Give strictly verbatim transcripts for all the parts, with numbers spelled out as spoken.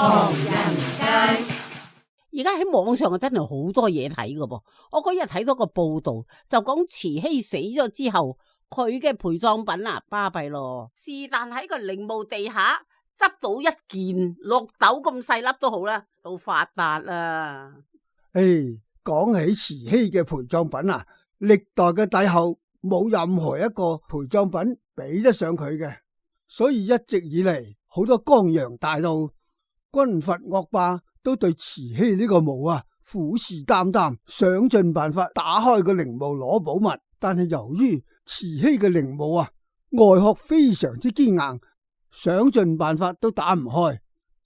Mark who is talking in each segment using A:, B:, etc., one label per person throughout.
A: 唐人街。
B: 而家喺網上啊，真係好多嘢睇噶噃。我嗰日睇到個報道，就講慈禧死咗之後，佢嘅陪葬品啊，巴閉咯。是但喺個陵墓地下執到一件綠豆咁細粒都好啦，都發達啦。
C: 誒，講起慈禧嘅陪葬品啊，歷代嘅帝后冇任何一個陪葬品比得上佢嘅，所以一直以嚟好多江洋大盜、軍閥惡霸都對慈禧呢個墓啊虎視眈眈，想盡辦法打開個陵墓攞寶物。但係由於慈禧嘅陵墓啊外殼非常之堅硬，想盡辦法都打唔開。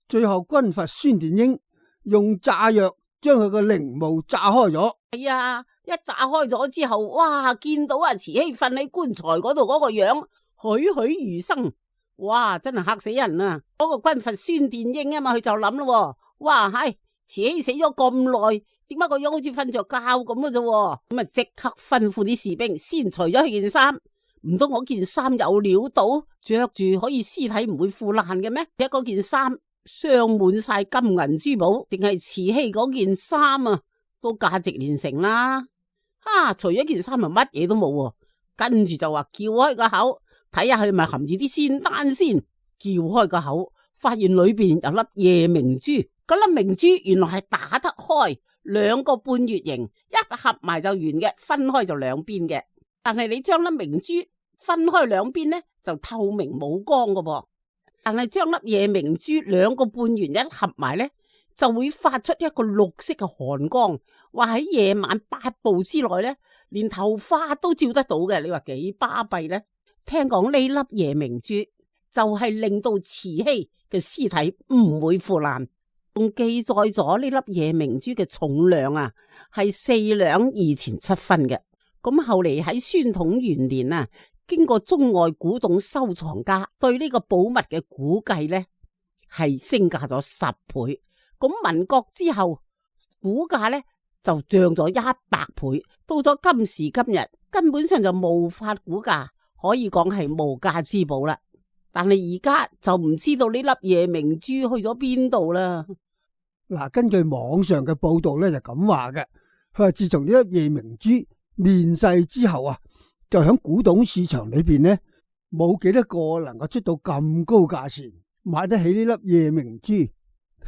C: 最後軍閥孫殿英用炸藥將佢個陵墓炸開咗。
B: 係啊，一炸開咗之後，哇，見到啊慈禧瞓喺棺材嗰度嗰個樣栩栩如生，哇，真係嚇死人啊！嗰、那個軍閥孫殿英啊嘛，佢就諗咯，哇，係慈禧死咗咁耐，點解個樣好似瞓着覺咁嘅啫？咁啊，即刻吩咐啲士兵先除咗佢件衫，唔通我件衫有料到着住可以屍體唔會腐爛嘅咩？一嗰件衫鑲滿晒金銀珠寶，定係慈禧嗰件衫啊，都價值連城啦！啊，除咗件衫啊，乜嘢都冇，跟住就話撬開個口，睇下佢咪含住啲仙丹先。撬開個口，發現裏邊有粒夜明珠，嗰粒明珠原來係打得開，兩個半月形，一合埋就圓嘅，分開就兩邊嘅。但係你將粒明珠分開兩邊呢，就透明冇光噶噃。但係將粒夜明珠兩個半圓一合埋呢，就會發出一個綠色嘅寒光。話喺夜晚八步之內呢，連頭髮都照得到嘅。你話幾巴閉呢？聽講呢粒夜明珠就係令到慈禧嘅屍體唔會腐爛，仲記載咗呢粒夜明珠嘅重量啊，係四兩二錢七分嘅。咁後嚟喺宣統元年啊，經過中外古董收藏家對呢個寶物嘅估計呢，係升價咗十倍。咁民國之後估價呢就漲咗一百倍，到咗今時今日根本上就無法估價，可以講係無價之寶啦。但係而家就唔知道呢粒夜明珠去咗邊度啦。
C: 嗱，根據網上嘅報道咧就咁話嘅，佢話自從呢粒夜明珠面世之後啊，就喺古董市場裏邊呢，冇幾多個能夠出到咁高價錢買得起呢粒夜明珠。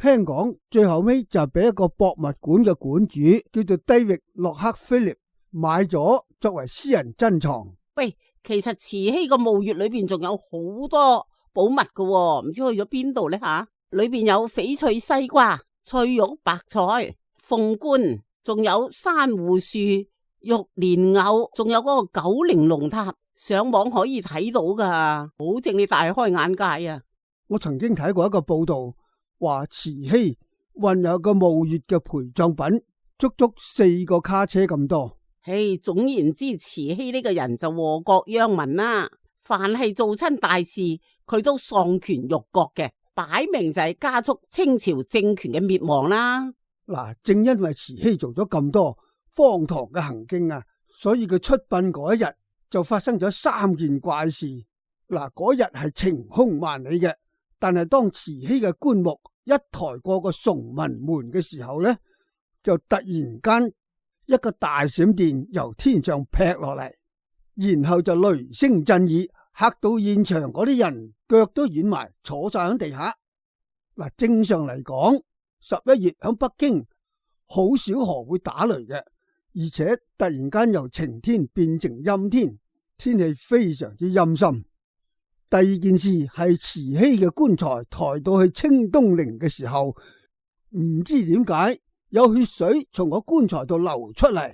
C: 聽講最後尾就俾一個博物館嘅館主叫做低域洛克菲利買咗作為私人珍藏。
B: 喂，其實慈禧個墓穴裏邊仲有好多寶物噶，唔知去咗邊度呢吓？裏邊有翡翠西瓜、翠玉白菜、鳳冠，仲有珊瑚樹、玉蓮藕，仲有嗰個九玲龍塔，上網可以睇到噶，保證你大開眼界啊！
C: 我曾經睇過一個報道，話慈禧運有個墓穴嘅陪葬品足足四個卡車咁多。
B: 嘿，總言之，慈禧呢個人就禍國殃民啦。凡係做親大事，佢都喪權辱國嘅，擺明就係加速清朝政權嘅滅亡啦。
C: 嗱，正因為慈禧做咗咁多荒唐嘅行徑啊，所以佢出殯嗰一日就發生咗三件怪事。嗱，嗰日係晴空萬里嘅，但係當慈禧嘅棺木一抬過個崇文門嘅時候呢，就突然間一個大閃電由天上劈落嚟，然後就雷聲震耳，嚇到現場嗰啲人腳都軟埋，坐晒喺地下。嗱，正常嚟講，十一月喺北京好少河會打雷嘅，而且突然間由晴天變成陰天，天氣非常之陰森。第二件事係慈禧嘅棺材抬到去清東陵嘅時候，唔知點解有血水從個棺材度流出嚟。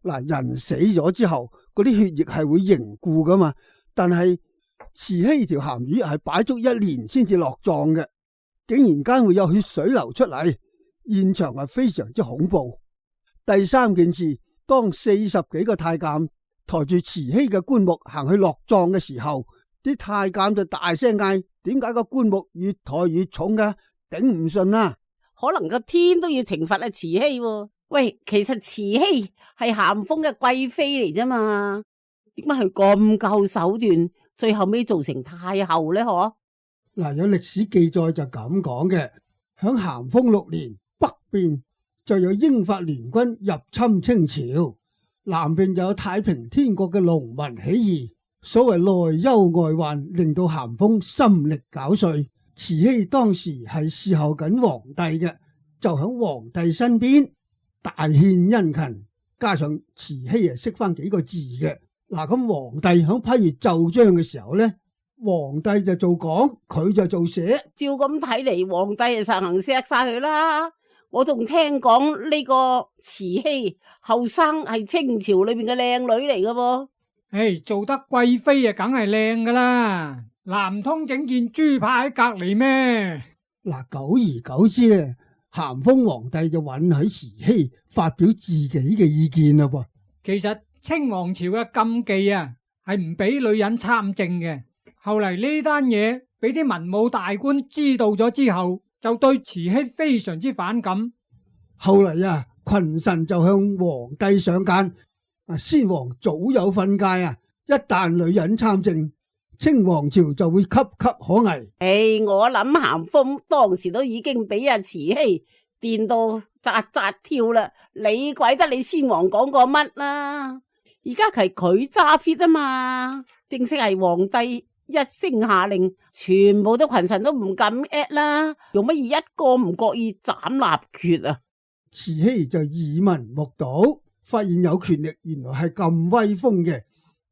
C: 嗱，人死咗之後，嗰啲血液係會凝固噶嘛，但係慈禧條鹹魚係擺足一年先至落葬嘅，竟然間會有血水流出嚟，現場係非常之恐怖。第三件事，當四十幾個太監抬住慈禧嘅棺木行去落葬嘅時候，啲太監就大聲嗌：點解個棺木越抬越重噶？頂唔順啦！
B: 可能個天都要懲罰啊慈禧喎。喂，其實慈禧係咸豐嘅貴妃嚟啫嘛，點解佢咁夠手段，最後尾做成太后呢？嗬？
C: 嗱，有歷史記載就咁講嘅，響咸豐六年北邊就有英法聯軍入侵清朝，南邊就有太平天國嘅農民起義。所謂內憂外患，令到咸豐心力交瘁。慈禧當時係侍候緊皇帝嘅，就響皇帝身邊大獻殷勤，加上慈禧啊識翻幾個字嘅。嗱，咁皇帝響批閱奏章嘅時候呢，皇帝就做講，佢就做寫。
B: 照咁睇嚟，皇帝就實行錫晒佢啦。我仲聽講呢個慈禧後生係清朝裏邊嘅靚女嚟噶噃。
D: 誒，做得貴妃啊，梗係靚噶啦，南通整件豬扒喺隔籬咩？
C: 嗱，久而久之咧，咸豐皇帝就允許慈禧發表自己嘅意見啦噃。
D: 其實清王朝嘅禁忌啊，係唔俾女人參政嘅。後嚟呢單嘢俾啲文武大官知道咗之後，就對慈禧非常之反感。
C: 後嚟啊，群臣就向皇帝上諫。啊！先皇早有訓誡啊，一旦女人參政，清王朝就會岌岌可危。
B: 誒、哎，我諗咸豐當時都已經俾阿慈禧電到扎扎跳啦，你鬼得你先皇講過乜啦？而家係佢揸 fit 啊嘛，正式係皇帝一聲下令，全部都群臣都唔敢 at 啦，用乜嘢一個唔覺意斬立決啊？
C: 慈禧就耳聞目睹，發現有權力原來係咁威風嘅，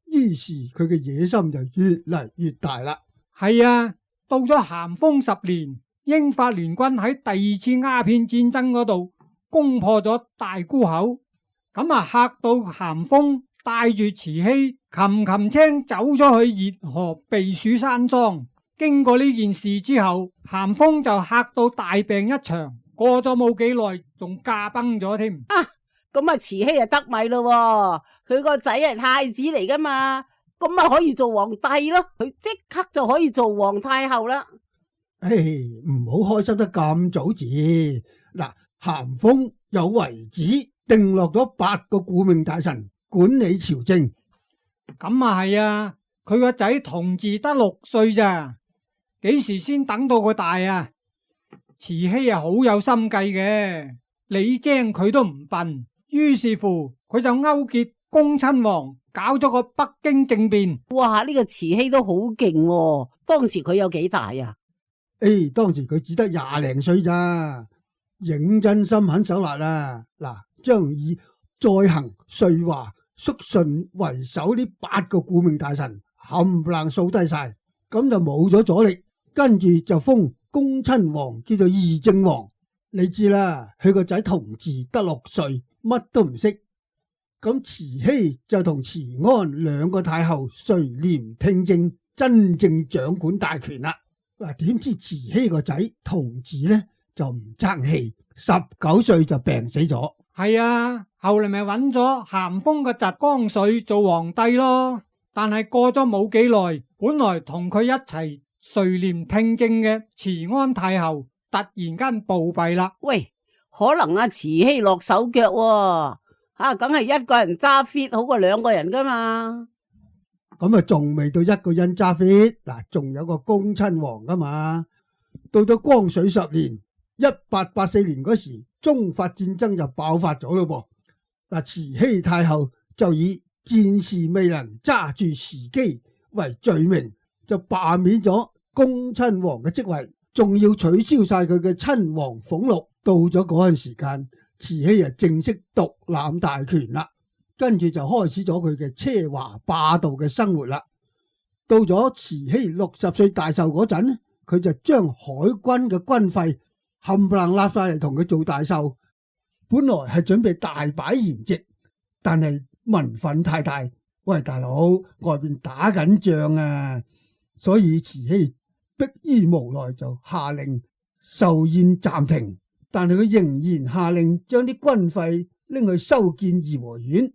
C: 於是佢嘅野心就越嚟越大啦。
D: 係啊，到咗咸豐十年，英法聯軍喺第二次鴉片戰爭嗰度攻破咗大沽口，咁啊嚇到咸豐帶住慈禧擒擒青走咗去熱河避暑山莊。經過呢件事之後，咸豐就嚇到大病一場，過咗冇幾耐仲駕崩咗添。
B: 啊！咁啊，慈禧就得米咯，佢個仔係太子嚟噶嘛，咁啊可以做皇帝咯，佢即刻就可以做皇太后啦。
C: 唉，唔好開心得咁早字。嗱，咸豐有遺旨定落咗八個顧命大臣管理朝政。
D: 咁啊係啊，佢個仔同治得六歲咋，幾時先等到佢大啊？慈禧啊好有心計嘅，李精佢都唔笨。於是乎，佢就勾結恭親王，搞咗個北京政變。
B: 哇！呢個慈禧都好勁喎，當時佢有幾大啊？
C: 誒，當時佢只得廿零歲咋，認真心狠手辣啊！嗱，將以再行、瑞華、肅順為首呢八個顧命大臣冚唪唥掃低晒，咁就冇咗阻力。跟住就封恭親王叫做議政王。你知啦，佢個仔同治得六歲。乜都唔識，咁慈禧就同慈安兩個太后垂簾聽政，真正掌管大權啦。嗱，點知慈禧個仔同治呢就唔爭氣，十九歲就病死咗。
D: 係啊，後嚟咪揾咗咸豐個侄光緒做皇帝咯。但係過咗冇幾耐，本來同佢一齊垂簾聽政嘅慈安太后突然間暴斃啦。
B: 喂！可能阿慈禧落手腳喎，吓，梗係一個人揸 fit 好過兩個人噶嘛。
C: 咁啊，仲未到一個人揸 fit，嗱，仲有個恭親王噶嘛。到咗光緒十年，一八八四年嗰時，中法戰爭就爆發咗咯噃。嗱，慈禧太后就以戰事未能揸住時機為罪名，就罷免咗恭親王嘅職位，仲要取消晒佢嘅親王俸祿。到咗嗰陣時間，慈禧啊正式獨攬大權啦，跟住就開始咗佢嘅奢華霸道嘅生活啦。到咗慈禧六十歲大壽嗰陣，佢就將海軍嘅軍費冚唪唥拉晒嚟同佢做大壽。本來係準備大擺筵席，但係民憤太大，喂大佬，外邊打緊仗啊，所以慈禧迫於無奈就下令壽宴暫停。但係佢仍然下令將啲軍費拎去修建頤和園，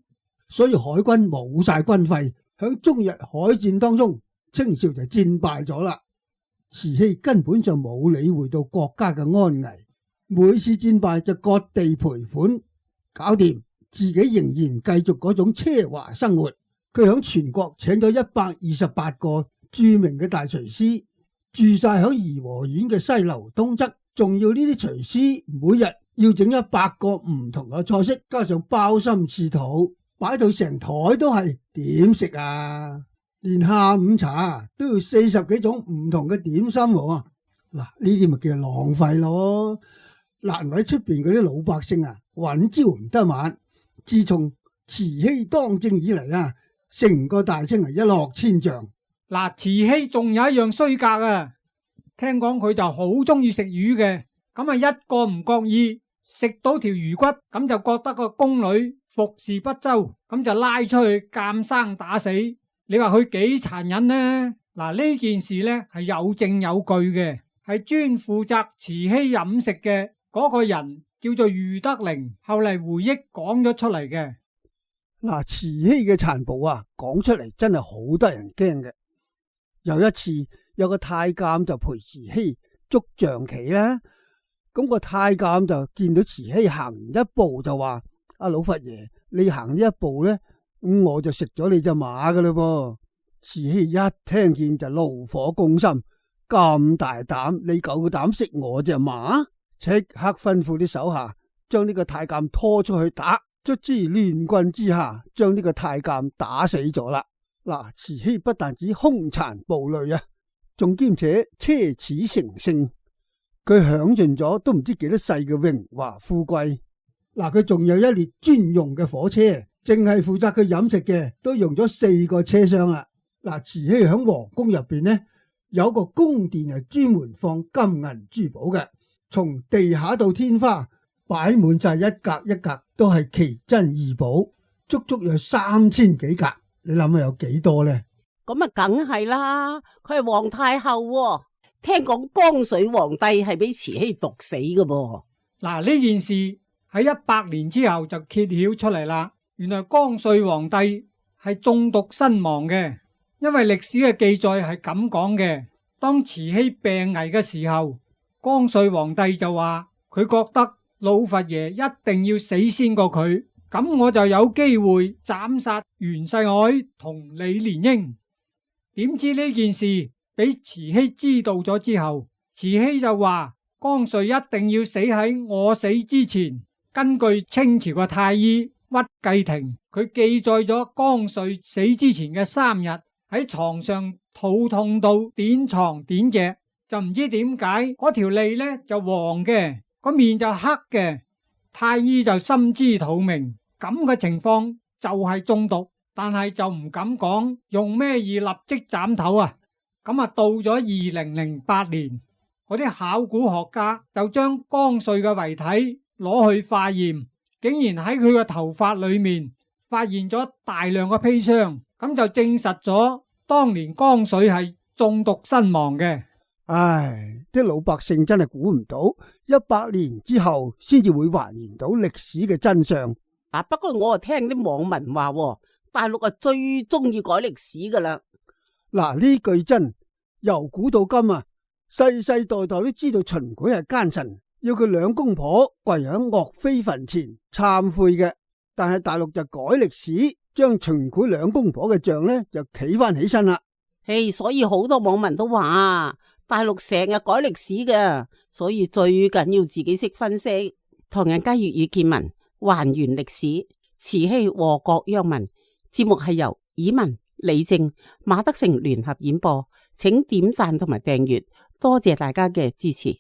C: 所以海軍冇晒軍費。響中日海戰當中，清朝就戰敗咗啦。慈禧根本上冇理會到國家嘅安危，每次戰敗就割地賠款搞掂，自己仍然繼續嗰種奢華生活。佢響全國請咗一百二十八個著名嘅大廚師，住晒響頤和園嘅西樓東側仲要呢啲廚師每日要整一百個唔同嘅菜式，加上鮑參翅肚，擺到成台都係，點食啊？連下午茶都要四十幾種唔同嘅點心喎。嗱，呢啲咪叫浪費咯。難為出邊嗰啲老百姓啊，揾朝唔得晚。自從慈禧當政以嚟啊，成個大清係一落千丈。
D: 嗱，慈禧仲有一樣衰格啊，聽講佢就好中意食魚嘅，咁啊一個唔覺意食到條魚骨，咁就覺得個宮女服侍不周，咁就拉出去監生打死。你話佢幾殘忍呢？嗱，呢件事呢係有證有據嘅，係專負責慈禧飲食嘅嗰個人叫做余德齡，後嚟回憶講咗出嚟嘅。
C: 嗱，慈禧嘅殘暴啊，講出嚟真係好得人驚嘅。有一次，有個太監就陪慈禧捉象棋啦。咁個太監就見到慈禧行完一步就話：阿老佛爺，你行呢一步咧，咁我就食咗你隻馬噶啦噃。慈禧一聽見就怒火攻心，咁大膽，你夠膽食我隻馬？即刻吩咐啲手下將呢個太監拖出去打，卒之亂棍之下將呢個太監打死咗啦。嗱，慈禧不但止兇殘暴戾啊，仲兼且奢侈成性，佢享盡咗都唔知幾多世嘅榮華富貴。嗱，佢仲有一列專用嘅火車，淨係負責佢飲食嘅都用咗四個車廂啦。嗱，慈禧喺皇宮入邊呢，有個宮殿係專門放金銀珠寶嘅，從地下到天花擺滿晒一格一格都係奇珍異寶，足足有三千幾格。你諗下有幾多呢？
B: 咁啊，梗係啦，佢係皇太后喎，聽講光緒皇帝係俾慈禧毒死嘅噃。
D: 嗱，呢件事喺一百年之後就揭曉出嚟啦。原來光緒皇帝係中毒身亡嘅，因為歷史嘅記載係咁講嘅。當慈禧病危嘅時候，光緒皇帝就話佢覺得老佛爺一定要死先過佢。咁我就有機會斬殺袁世凱同李蓮英。點知呢件事俾慈禧知道咗之後，慈禧就話光緒一定要死喺我死之前。根據清朝嘅太醫屈繼廷，佢記載咗光緒死之前嘅三日喺床上肚痛到點床點隻，就唔知點解嗰條脷呢就黃嘅，個面就黑嘅。太醫就心知肚明，咁嘅情況就係中毒，但係就唔敢講用咩而立即斬頭啊。咁啊，到咗二零零八年，嗰啲考古學家就將光緒嘅遺體攞去化驗，竟然喺佢嘅頭髮裏面發現咗大量嘅砒霜，咁就證實咗當年光緒係中毒身亡嘅。
C: 唉，啲老百姓真係估唔到，一百年之後先至會還原到歷史嘅真相。
B: 啊，不過我啊聽啲網民話，大陸啊最中意改歷史噶啦。
C: 嗱，呢句真，由古到今啊，世世代代都知道秦檜係奸臣，要佢兩公婆跪喺岳飛墳前懺悔嘅。但係大陸就改歷史，將秦檜兩公婆嘅像呢就企翻起身啦。
B: 嘿，所以好多網民都話。大陸成日改歷史嘅，所以最緊要自己識分析。唐人街粵語見聞，還原歷史，慈禧禍國殃民。節目係由以文、李正、馬德成聯合演播，請點讚同埋訂閱，多謝大家嘅支持。